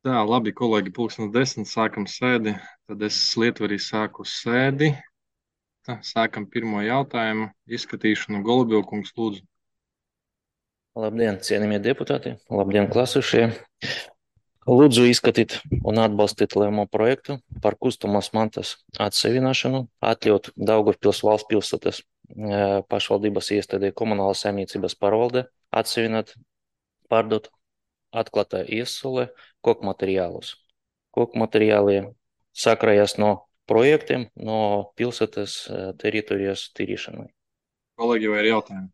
Tā, labi, kolēģi, 10:00 sākam sēdi. Tad es Lietuvā sāku sēdi. Tā, sākam pirmo jautājumu izskatīšanu. Golubilkungs, lūdzu. Labdien, cienījamie deputāti! Labdien, klasušie! Lūdzu izskatīt un atbalstīt lēmumu projektu par kustamās mantas atsevināšanu, atļaut Daugavpils valsts pilsētas pašvaldības iestādē komunāla saimniecības pārvalde atsevināt, pārdot atklātā iesule koku materiālus. Koku materiāli sakrājas no projektiem, no pilsētas teritorijas tīrīšanai. Kolēģi, vai ir jautājumi?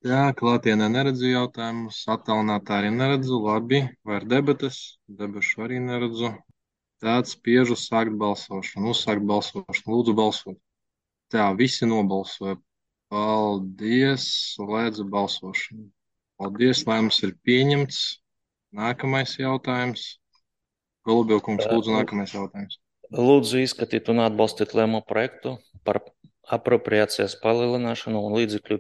Jā, klātienē neredzu jautājumus, attālinātā arī neredzu. Labi, vai ir debates? Debašu arī neredzu. Tāds spiežu sākt balsošanu, uzsākt balsošanu. Lūdzu, balsot. Tā, visi nobalsoja. Paldies, slēdzu balsošanu. Paldies, lēmums ir pieņemts. Nākamais jautājums. Golubilkungs, lūdzu, nākamais jautājums. Lūdzu izskatīt un atbalstīt lēmumu projektu par apropriācijas palielināšanu un līdzekļu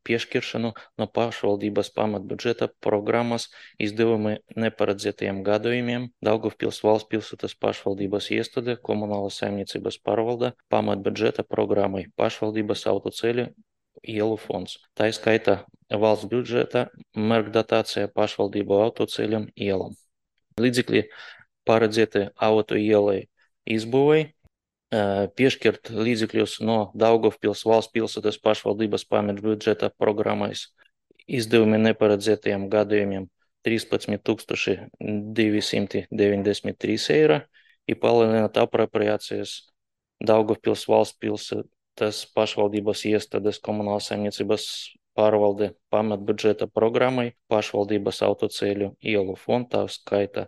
piešķiršanu no pašvaldības pamatbudžeta programmas izdevumi neparedzētajiem gadījumiem Daugavpils valsts pilsētas pašvaldības iestāde komunāla saimniecības pārvalde pamatbudžeta programmai pašvaldības autoceļu ielu fonds. Tā skaitā valsts budžeta mērķdotācija pašvaldību autoceļiem ielam. Līdzekļi paredzēti auto ielai izbūvēji, piešķirt līdzekļus no Daugavpils valsts pilsētas pašvaldības pamatbudžeta programmais izdevumi neparedzētajiem gadījumiem 13 293 eiro un palielināt apropriācijas Daugavpils valsts pilsētas pašvaldības iestādes komunāla saimniecības pārvalde pamatbudžeta programmai pašvaldības autoceļu ielu fondā skaita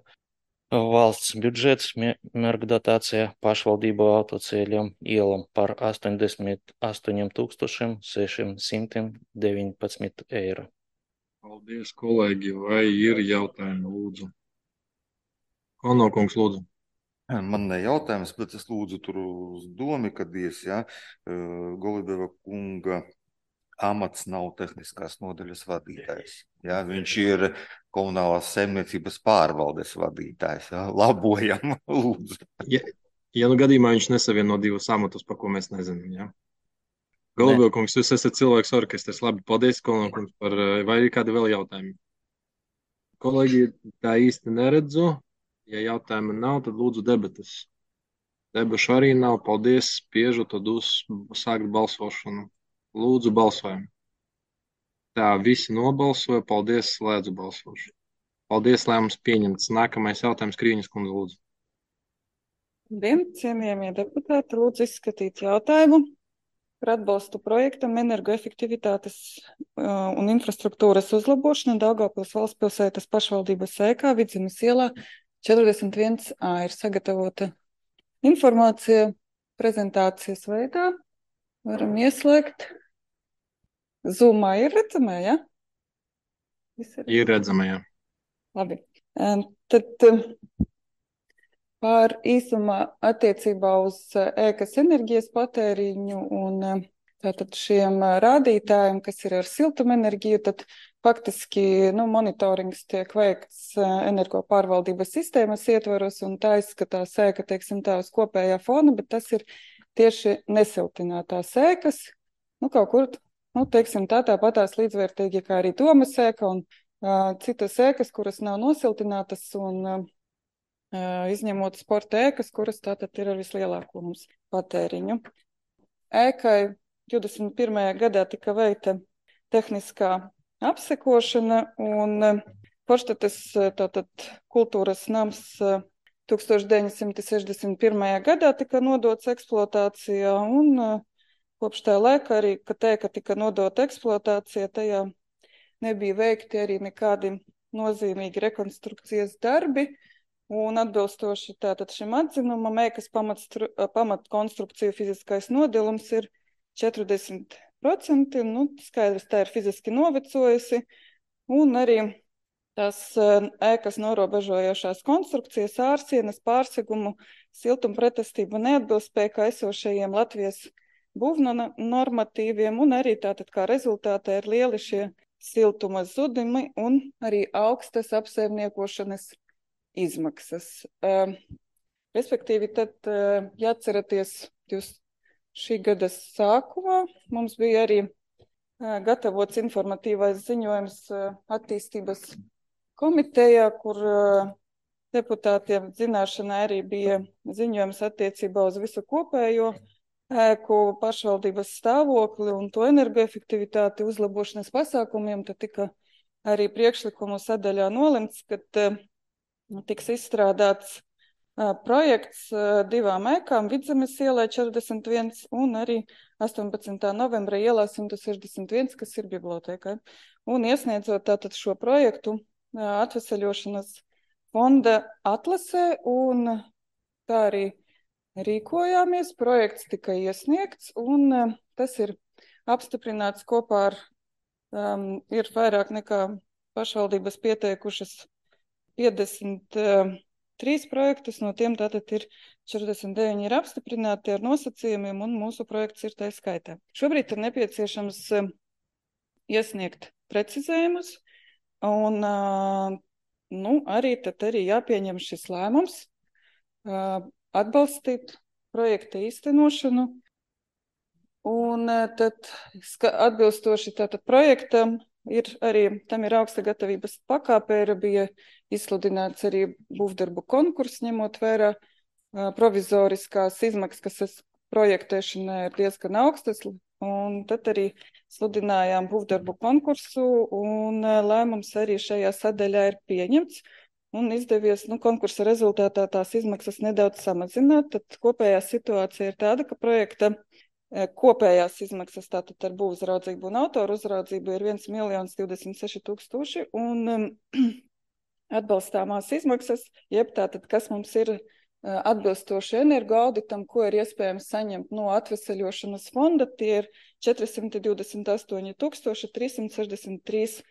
valsts budžets mērķdotācija pašvaldību autoceļiem ielam par 88 619 eiro. Paldies, kolēģi. Vai ir jautājumi, lūdzu? Konokungs, lūdzu. Man ne jautājums, bet es lūdzu tur uz domu, kad Golubeva kunga amats nav tehniskās nodaļas vadītājs. Ja? Viņš ir komunālās saimniecības pārvaldes vadītājs. Ja? Labojam, lūdzu. Ja nu gadījumā viņš nesavieno divus amatus, par ko mēs nezinām. Ja? Golubilkungs, jūs esat cilvēks orkestrs. Labi, paldies, Konokungs, vai ir kādi vēl jautājumi? Kolēģi, tā īsti neredzu. Ja jautājuma nav, tad lūdzu debatas. Debašu arī nav. Paldies, spiežu, tad sākt balsošanu. Lūdzu, balsojam. Tā, visi nobalsoja. Paldies, slēdzu balsošanu. Paldies, lēmums pieņemts. Nākamais jautājums, Krīņas kundze, lūdzu. Labdien, cienījamie deputāti, lūdzu izskatīt jautājumu par atbalstu projektam energoefektivitātes un infrastruktūras uzlabošana Daugavpils valsts pilsētas pašvaldības ēkā Vidzemes ielā 41A. Ir sagatavota informācija prezentācijas veidā. Varam ieslēgt. Zoomā ir redzamā, ja? Ir redzamā, jā. Labi. Tad pār īsumā attiecībā uz ēkas enerģijas patēriņu un tātad šiem rādītājiem, kas ir ar siltumenerģiju, tad faktiski monitorings tiek veikts energo pārvaldības sistēmas ietvaros, un tā izskatās ēka, teiksim tā, uz kopējā fona, bet tas ir tieši nesiltinātās ēkas, kaut kur, teiksim tā, tāpatās līdzvērtīgi kā arī domas ēka un citas ēkas, kuras nav nosiltinātas un izņemot sporta ēkas, kuras tātad ir ar vislielāko mums patēriņu. Ēkai 21. gadā tika veikta tehniskā apsekošana un Forštates tātad kultūras nams 1961. gadā tika nodots eksploatācijā un kopš tā laika arī, kad ēka tika nodota eksploatācijā, tajā nebija veikti arī nekādi nozīmīgi rekonstrukcijas darbi. Un atbilstoši tātad šim atzinumam, ēkas pamatkonstrukciju fiziskais nodilums ir 40%. Skaidrs, tā ir fiziski novecojusi. Un arī tās ēkas norobežojošās konstrukcijas, ārsienas, pārsegumu, siltumpretestību neatbilst spēkā esošajiem Latvijas būvnormatīviem, un arī tātad kā rezultātā ir lieli šie siltuma zudumi un arī augstas apsaimniekošanas izmaksas. Respektīvi, tad jāatceraties, jūs šī gada sākumā mums bija arī gatavots informatīvais ziņojums attīstības komitejā, kur deputātiem zināšanai arī bija ziņojums attiecībā uz visu kopējo ēku pašvaldības stāvokli un to energoefektivitāti uzlabošanas pasākumiem. Tad tika arī priekšlikumu sadaļā nolemts, ka tiks izstrādāts projekts divām ēkām, Vidzemes ielai 41 un arī 18. novembra ielā 161, kas ir bibliotēkai. Un iesniedzot tātad šo projektu atveseļošanas fonda atlasē, un tā arī rīkojāmies. Projekts tika iesniegts, un tas ir apstiprināts kopā ar, ir vairāk nekā pašvaldības pieteikušas 53 projektus, no tiem tātad ir 49 ir apstiprināti ar nosacījumiem, un mūsu projekts ir tā skaitā. Šobrīd ir nepieciešams iesniegt precizējumus, un arī jāpieņem šis lēmums atbalstīt projekta īstenošanu, un tad atbilstoši tātad projektam tam ir augsta gatavības pakāpe, bija izsludināts arī būvdarbu konkurss, ņemot vērā provizoriskās izmaksas, kas projektēšanai ir diezgan augstas, un tad arī sludinājām būvdarbu konkursu, un lēmums arī šajā sadaļā ir pieņemts, un izdevies konkursa rezultātā tās izmaksas nedaudz samazināt. Tad kopējā situācija ir tāda, ka projekta kopējās izmaksas tātad ar būvuzraudzību un autoru uzraudzību ir 1 26 000, un atbalstāmās izmaksas, jeb tātad, kas mums ir atbilstoši energoauditam, ko ir iespējams saņemt no atveseļošanas fonda, tie ir 428 363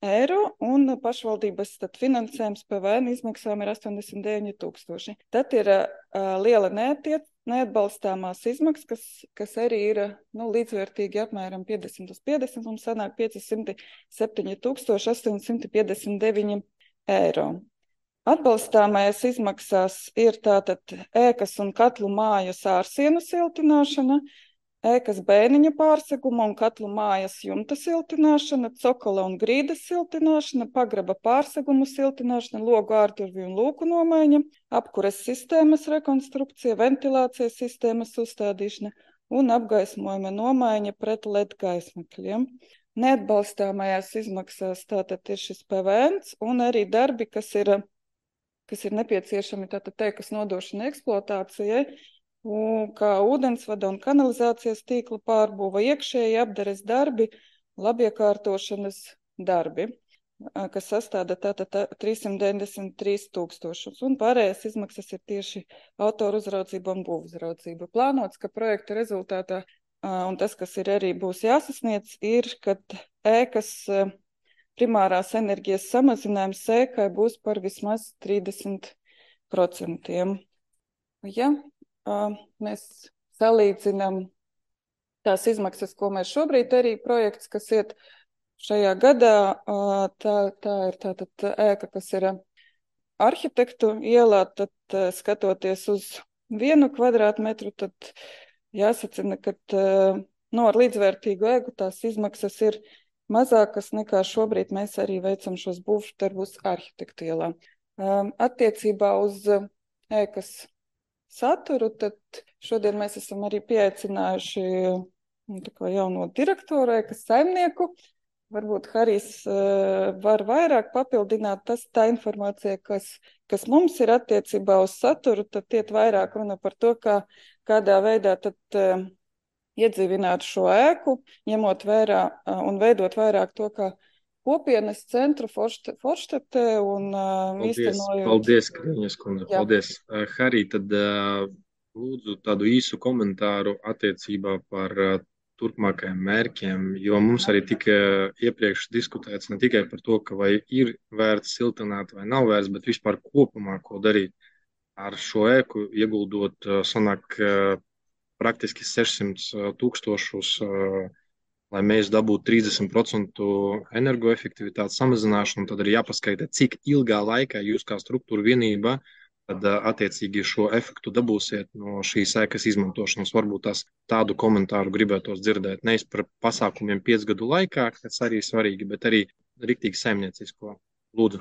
eiro, un pašvaldības finansējums PVN izmaksām ir 89 000. Tad ir liela neatbalstāmās izmaksas, kas arī ir līdzvērtīgi apmēram 50/50, un sanāk 507 859 eiro. Atbalstāmais izmaksās ir tātad ēkas un katlu mājas ārsienu siltināšana, ēkas bēniņa pārseguma un katlu mājas jumta siltināšana, cokola un grīdas siltināšana, pagraba pārsegumu siltināšana, logu ārdurvju un lūku nomaiņa, apkures sistēmas rekonstrukcija, ventilācijas sistēmas uzstādīšana un apgaismojuma nomaiņa pret LED gaismakļiem. Neatbalstāmajās izmaksās tātad ir šis PVN un arī darbi, kas ir nepieciešami tātad ēkas nodošana eksploatācijai, kā ūdensvada un kanalizācijas tīkla pārbūva, iekšēji apdares darbi, labiekārtošanas darbi, kas sastāda tātad 393 000, un pārējās izmaksas ir tieši autoru uzraudzība un būvuzraudzība. Plānots, ka projekta rezultātā, un tas, kas ir arī būs jāsasniedz, ir, kad ēkas primārās enerģijas samazinājums ēkai būs par vismaz 30%. Ja mēs salīdzinām tās izmaksas, ko mēs šobrīd arī projekts, kas iet šajā gadā, tā ir tātad ēka, kas ir arhitektu ielā, tad skatoties uz 1 kvadrātmetru, tad jāsacina, ka ar līdzvērtīgu ēku tās izmaksas ir mazākas nekā šobrīd mēs arī veicam šos būvdarbus arhitektu ielā. Attiecībā uz ēkas saturu, tad šodien mēs esam arī pieaicinājuši jauno direktoru, ēkas saimnieku. Varbūt Harijs var vairāk papildināt tā informācija, kas mums ir attiecībā uz saturu, tad iet vairāk runa par to, kādā veidā tad iedzīvināt šo ēku, ņemot vērā un veidot vairāk to, kā kopienas centru Forštatē un īstenojot. Paldies, Kriņas kundze. Paldies. Harij, tad lūdzu tādu īsu komentāru attiecībā par turpmākajiem mērķiem, jo mums arī tika iepriekš diskutēts ne tikai par to, ka vai ir vērts siltināt vai nav vērts, bet vispār kopumā, ko darīt ar šo ēku, ieguldot, sanāk, praktiski 600 000 lai mēs dabūtu 30% energoefektivitātes samazināšanu, tad arī jāpaskaita, cik ilgā laikā jūs kā struktūra vienība tad attiecīgi šo efektu dabūsiet no šīs ēkas izmantošanas. Varbūt tādu komentāru gribētos dzirdēt. Nevis par pasākumiem 5 gadu laikā, kas arī svarīgi, bet arī riktīgi saimniecisko. Lūdzu,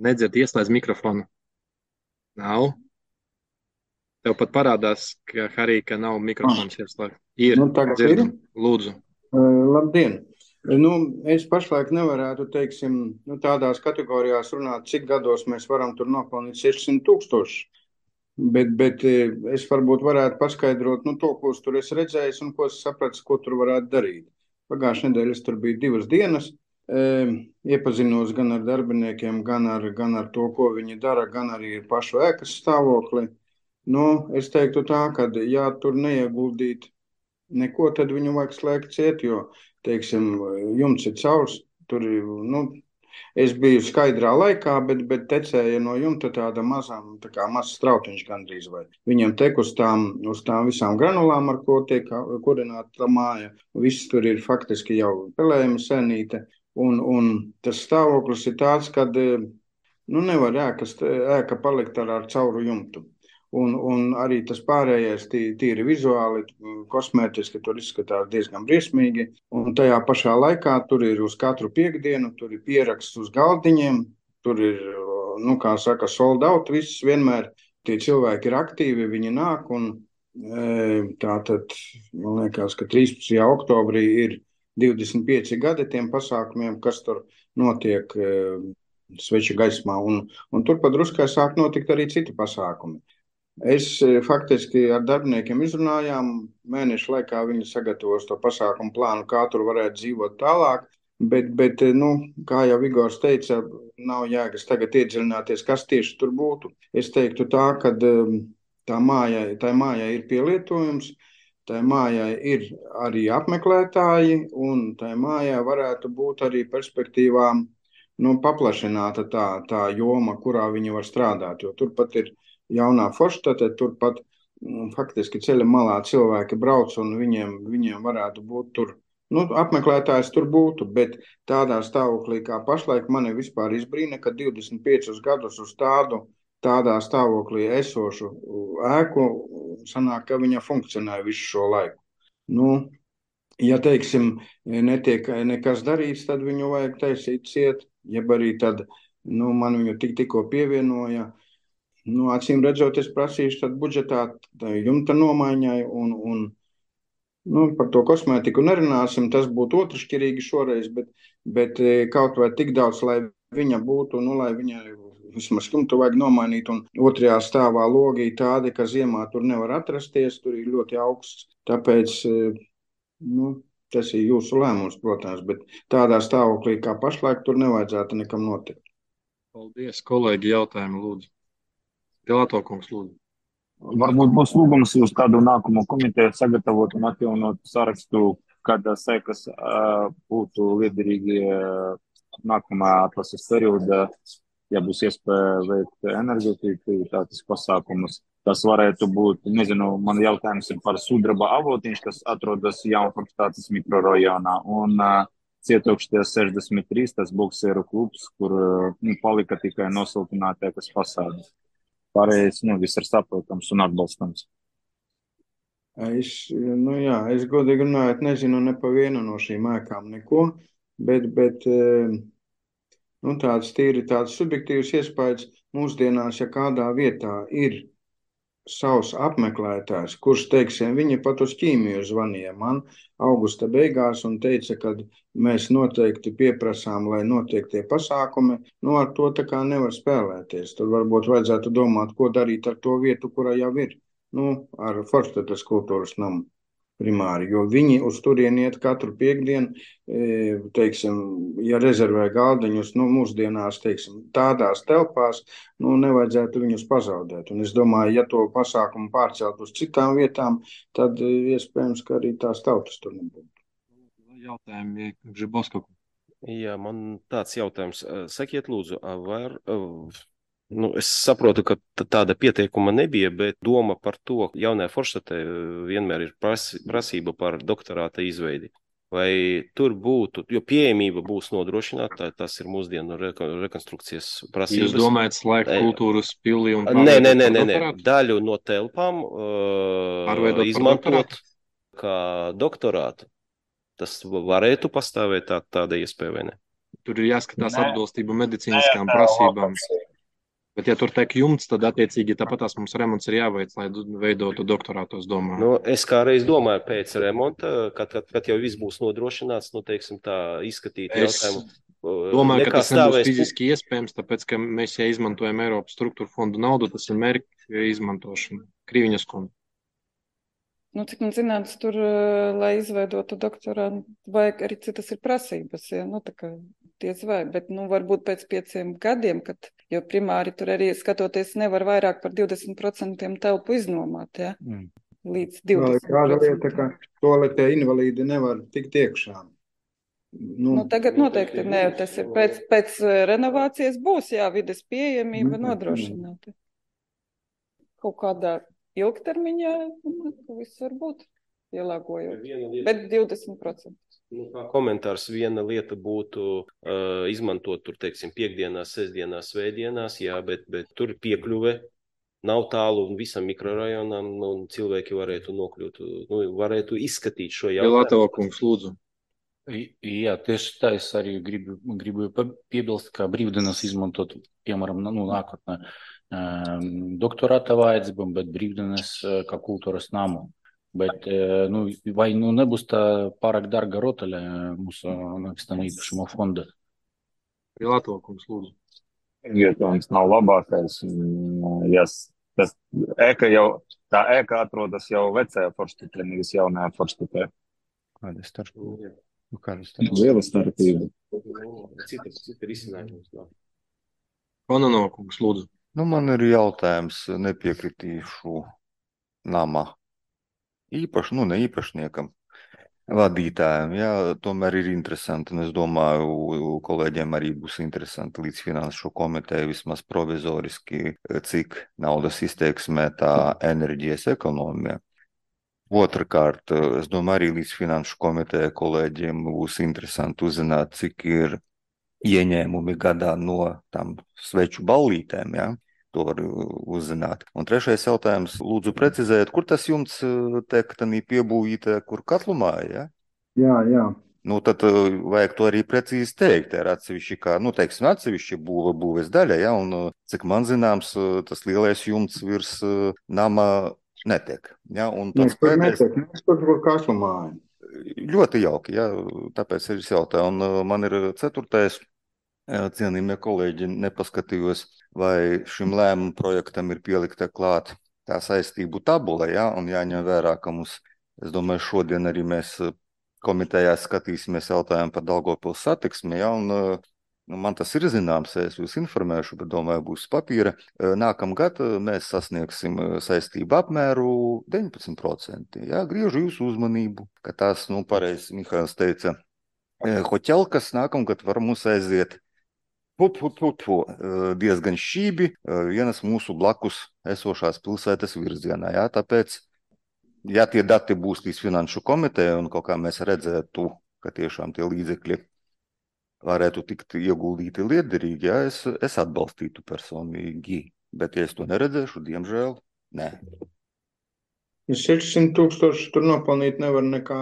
nedzird, ieslēdz mikrofonu. Nav. Tev pat parādās, ka nav mikrofons ieslēgts. Ir, dzirdam. Lūdzu. Labdien! Es pašlaik nevarētu, teiksim, tādās kategorijās runāt, cik gados mēs varam tur nopelnīt 600,000. Bet es varbūt varētu paskaidrot to, ko es tur esmu redzējis un ko es sapratu, ko tur varētu darīt. Pagājušajā nedēļā es tur biju 2 dienas, iepazinos gan ar darbiniekiem, gan ar to, ko viņi dara, gan arī ar pašu ēkas stāvokli. Es teiktu tā, ka ja tur neieguldīt neko, tad viņu vajag slēgt ciet, jo, teiksim, jumts ir caurs. Tur, es biju skaidrā laikā, bet tecēja no jumta tāda mazs strautiņš gandrīz vai. Viņam tek uz tām visām granulām, ar ko tiek kurināta māja. Viss tur ir faktiski jau pelējuma senīte. Un tas stāvoklis ir tāds, kad nevar ēka palikt ar cauru jumtu. Un arī tas pārējais tīri vizuāli, kosmētiski tur izskatās diezgan briesmīgi. Un tajā pašā laikā tur ir uz katru piekdienu, tur ir pieraksts uz galdiņiem, tur ir, kā saka, sold out, viss vienmēr. Tie cilvēki ir aktīvi, viņi nāk un tātad, man liekas, ka 13. oktobrī ir 25 gadi tiem pasākumiem, kas tur notiek sveču gaismā. Un tur pa druskai sāk notikt arī citi pasākumi. Es faktiski ar darbiniekiem izrunājām, mēnešu laikā viņi sagatavos to pasākumu plānu, kā tur varētu dzīvot tālāk, bet kā jau Igors teica, nav jēgas tagad iedziļināties, kas tieši tur būtu. Es teiktu tā, ka tā mājai ir pielietojums, tā mājai ir arī apmeklētāji, un tā mājai varētu būt arī perspektīvām paplašināta tā joma, kurā viņi var strādāt, jo turpat ir jaunā forštate, turpat faktiski ceļa malā cilvēki brauc un viņiem varētu būt tur, apmeklētājs tur būtu, bet tādā stāvoklī kā pašlaik mani vispār izbrīna, ka 25 gadus uz tādā stāvoklī esošu ēku sanāk, ka viņa funkcionē visu šo laiku. Ja, teiksim, netiek nekas darīts, tad viņu vajag taisīt ciet, jeb arī tad, man viņu tikko pievienoja. Acīm redzot, es prasīšu tad budžetā jumta nomaiņai un par to kosmētiku nerunāsim, tas būtu otršķirīgi šoreiz, bet kaut vai tik daudz, lai viņa būtu, lai viņa vismaz jumtu vajag nomainīt, un otrajā stāvā logi tādi, ka ziemā tur nevar atrasties, tur ir ļoti augsts, tāpēc, tas ir jūsu lēmums, protams, bet tādā stāvoklī kā pašlaik tur nevajadzētu nekam notikt. Paldies, kolēģi, jautājumu lūdzu. Pilato kungs, lūdzu. Varbūt būs lūgums uz kādu nākamo komiteju sagatavot un atjaunot sarakstu, kādas ēkas būtu liederīgi nākamā atlases periodā, ja būs iespēja veikt energoefektivitātes pasākumus. Tas varētu būt, nezinu, man jautājums ir par sudraba avotiņš, kas atrodas Jaunforštātes mikrorajonā, un Cietokšties 63, tas bokseru klubs, kur palika tikai nosiltināta ēkas fasāde. Pārējais, viss ir saprotams un atbalstams. Es godīgi runājot, nezinu ne pa vienu no šīm ēkām neko, bet tāds subjektīvs iespējas mūsdienās, ja kādā vietā ir savs apmeklētājs, kurš, teiksim, viņi pat uz ķīmiju zvanīja man augusta beigās un teica, ka mēs noteikti pieprasām, lai notiek tie pasākumi, ar to tā kā nevar spēlēties. Tur varbūt vajadzētu domāt, ko darīt ar to vietu, kurā jau ir, ar Forštates kultūras namu primāri, jo viņi uz turieni iet katru piekdienu, teiksim, ja rezervē galdiņus, mūsdienās, teiksim, tādās telpās, nevajadzētu viņus pazaudēt. Un es domāju, ja to pasākumu pārcelt uz citām vietām, tad iespējams, ka arī tās tautas tur nebūtu. Jautājumi Gžiboska. Jā, man tāds jautājums. Sakiet, lūdzu, es saprotu, ka tāda pieteikuma nebija, bet doma par to jaunajā Forštatē vienmēr ir prasība par doktorāta izveidi. vai tur būtu, jo pieejamība būs nodrošināta, tas ir mūsdienu rekonstrukcijas Jūs prasības. domājat slēgt kultūras pili un Nē, pārveidot par doktorātu? daļu no telpām Pārveidot par izmantot kā doktorātu. Tas varētu pastāvēt tāda iespēja, vai ne? Tur ir jāskatās atbilstība medicīniskām prasībām. Bet, ja tur tiek jumts, tad attiecīgi tāpatās mums remonts ir jāveic, lai veidotu doktorātu, es domāju. Nu, es kādreiz domāju pēc remonta, kad jau viss būs nodrošināts, nu, teiksim tā, izskatīt jautājumu. Domāju, ka tas nebūs fiziski iespējams, tāpēc, ka mēs, ja izmantojam Eiropas struktūra fondu naudu, tas ir mērķa izmantošana. Krīviņas konta. Nu, cik man zināms, tur, lai izveidotu doktorātu, vajag arī citas ir prasības, ja? Nu, tā kā diez vai, bet, nu, varbūt pēc 5 gadiem, jo primāri tur arī skatoties nevar vairāk par 20% telpu iznomāt, ja? Līdz 20%. Kāda lieta, ka toaletē invalīdi nevar tikt iekšā. Nu, tagad noteikti nē, tas ir pēc renovācijas būs, jā, vides pieejamība nodrošināta. Kaut kādā ilgtermiņā, viss var būt pielāgojot, bet 20%. Nu, kā komentārs, viena lieta būtu izmantot tur, teiksim, piekdienās, sestdienās, svētdienās, jā, bet tur piekļuve nav tālu un visam mikrorajonam, un cilvēki varētu nokļūt, varētu izskatīt šo jautājumu. Latava kungs, lūdzu. Jā, tieši tā es arī gribu piebilst, ka brīvdienas izmantot, piemēram, nākotnē doktorāta vajadzībām, bet brīvdienas kā kultūras namu. Bet vai nebūs tā pārāk dārga rotaļa mūsu nekustamā īpašuma fonda? Latava kungs, lūdzu. Vietojums nav labākais. Tā ēka atrodas jau vecajā Forštitē, nevis jaunajā Forštitē. Kāda starpība? Liela starpība. Cita risinājums. Kononova kungs, lūdzu. Nu, man ir jautājums, nepiekritīšu nama ne īpašniekam, vadītājiem. Jā, tomēr ir interesanti, un es domāju, kolēģiem arī būs interesanti līdz finanšu komiteju vismaz provizoriski, cik naudas izteiksmē tā enerģijas ekonomija. Otrakārt, es domāju, arī līdz finanšu komiteja kolēģiem būs interesanti uzzināt, cik ir ieņēmumi gadā no tam sveču ballītēm, jā. To var uzzināt. Un trešais jautājums, lūdzu precizēt, kur tas jumts tiek piebūvīta, kur katlumāja, ja? Jā. Nu, tad vajag to arī precīzi teikt, ar atsevišķi, kā, teiksim, atsevišķi būves daļa, ja? Un cik man zināms, tas lielais jumts virs nama netiek, ja? Un tāds netiek, kur katlumāja. Ļoti jauki, ja? Tāpēc ir jautāju. Un man ir ceturtais. Cienījamie kolēģi, nepaskatījos, vai šim lēmumu projektam ir pielikta klāt tā saistību tabula, ja? Un jāņem vērā, ka mums, es domāju, šodien arī mēs komitejā skatīsimies jautājumu par Daugavpils satiksmi, ja? Un man tas ir zināms, es jūs informēšu, bet domāju, būs papīra. Nākamgad mēs sasniegsim saistību apmēru 19%. Ja? Griežu jūsu uzmanību, ka tās, pareizi Mihails teica, hoķelkas nākamgad var mums aiziet diezgan šķībi vienas mūsu blakus esošās pilsētas virzienā. Jā, tāpēc, ja tie dati būs līdz finanšu komiteja un kaut kā mēs redzētu, ka tiešām tie līdzekļi varētu tikt ieguldīti liederīgi, jā, es atbalstītu personīgi. Bet, ja es to neredzēšu, diemžēl, nē. 600 000 tur nopelnīt nevar nekā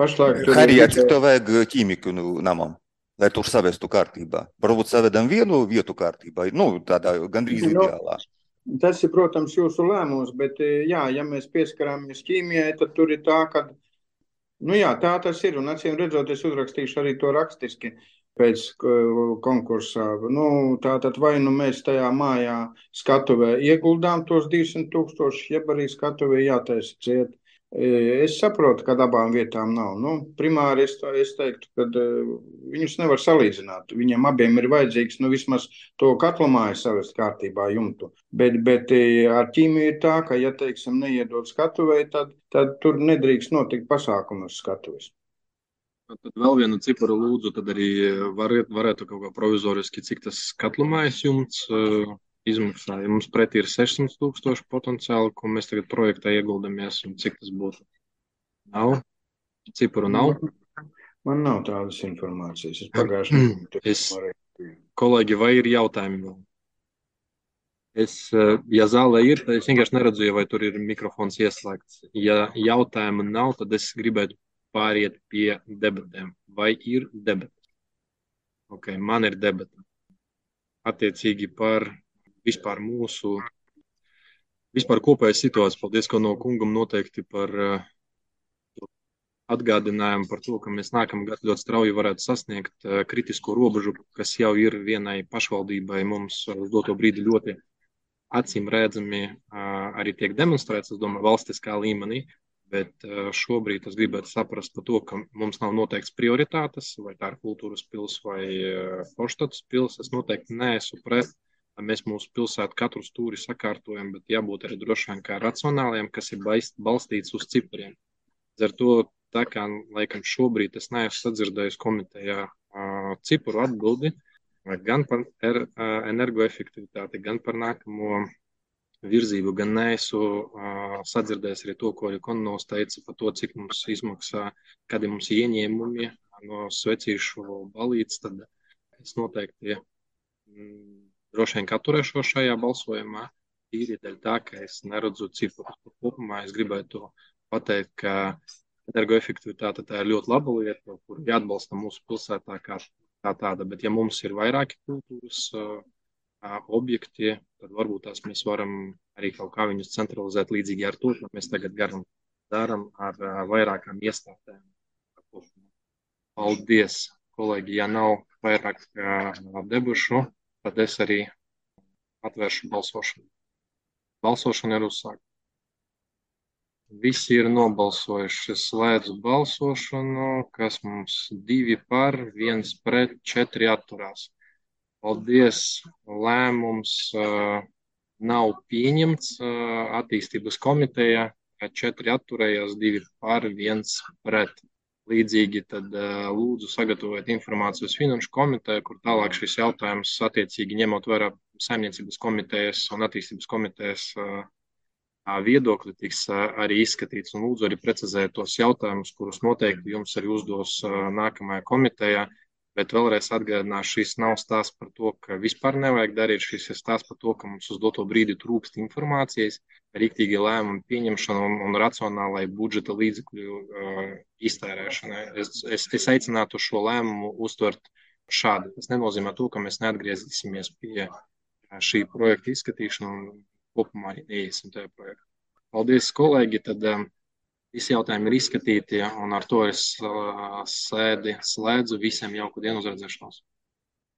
pašlaik. Harijā, cik to vajag ķīmiku namam? Lai tur savestu kārtībā. Varbūt savedam vienu vietu kārtībā, tādā gandrīz ideālā. Tas ir, protams, jūsu lēmums, bet jā, ja mēs pieskarāmies ķīmijai, tad tur ir tā, ka, tā tas ir, un acīm redzot, es uzrakstīšu arī to rakstiski pēc konkursā. Tātad vai mēs tajā mājā skatuvē ieguldām tos 200 000, jeb arī skatuvē jātaisa ciet. Es saprotu, ka abām vietām nav. Primāri es teiktu, ka viņus nevar salīdzināt. Viņiem abiem ir vajadzīgs vismaz to katlamāju savest kārtībā jumtu. Bet ar ķīmiju ir tā, ka, ja teiksim, neiedod skatuvei, tad tur nedrīkst notikt pasākumu uz skatuves. Tad vēl vienu ciparu lūdzu, tad arī varētu kaut kā provizoriski, cik tas katlamājas jumts izmaksā. Ja mums pretī ir 600 000 potenciāli, ko mēs tagad projektā ieguldamies, un cik tas būtu? Nav? Cipuru nav. Man nav tādas informācijas. Es pagājuši Kolēģi, vai ir jautājumi vēl? Ja zālē ir, tad es vienkārši neredzu, vai tur ir mikrofons ieslēgts. Ja jautājumu nav, tad es gribētu pāriet pie debatēm. Vai ir debates? Ok, man ir debata. Attiecīgi par vispār mūsu kopēju situāciju. Paldies, ko no kungam noteikti par atgādinājumu par to, ka mēs nākamgad ļoti strauji varētu sasniegt kritisko robežu, kas jau ir vienai pašvaldībai mums uz doto brīdi ļoti acīm redzami arī tiek demonstrēts, es domāju, valstiskā līmenī, bet šobrīd es gribētu saprast par to, ka mums nav noteikts prioritātes, vai tā ir kultūras pils vai Forštatas pils. Es noteikti neesmu pret, mēs mūsu pilsētu katru stūri sakārtojam, bet jābūt arī droši vien kā racionāliem, kas ir balstīts uz cipariem. Ar to, tā kā, laikam, šobrīd es neesmu sadzirdējis komitejā cipuru atbildi, gan par energoefektivitāti, gan par nākamo virzību, gan neesmu sadzirdējis arī to, ko Konovs teica par to, cik mums izmaksā, kādi mums ieņēmumi no svecīšu balītes, tad es noteikti droši vien atturēšos šajā balsojumā, tīri dēļ tā, ka es neredzu ciparus. Kopumā es gribētu pateikt, ka energoefektivitāte tā ir ļoti laba lieta, kur jāatbalsta mūsu pilsētā kā tāda, bet ja mums ir vairāki kultūras objekti, tad varbūt tās mēs varam arī kaut kā viņus centralizēt līdzīgi ar to, ka mēs tagad darām ar vairākām iestādēm. Paldies, kolēģi, ja nav vairāk debušu, tad es arī atvēršu balsošanu. Balsošana ir uzsākta. Visi ir nobalsojuši. Slēdzu balsošanu, kas mums 2 par, 1 pret, 4 atturās. Paldies, lēmums nav pieņemts attīstības komitejā, 4 atturējās, 2 par, 1 pret. Līdzīgi tad lūdzu sagatavot informāciju uz finanšu komiteju, kur tālāk šis jautājums attiecīgi ņemot vērā saimniecības komitejas un attīstības komitejas viedokļi tiks arī izskatīts, un lūdzu arī precizēt tos jautājumus, kurus noteikti jums arī uzdos nākamajā komitejā, bet vēlreiz atgādināšu, šis nav stāsts par to, ka vispār nevajag darīt, šis ir stāsts par to, ka mums uz doto brīdi trūkst informācijas, rīktīgi lēmumu pieņemšana un racionālai budžeta līdzekļu iztērēšanai. Es aicinātu šo lēmumu uztvert šādi. Tas nenozīmē to, ka mēs neatgriezīsimies pie šī projekta izskatīšana un kopumā arī neiesim tajā projektā. Paldies, kolēģi, tad visi jautājumi ir izskatīti, un ar to es sēdi slēdzu. Visiem jauku dienu, uz redzēšanos.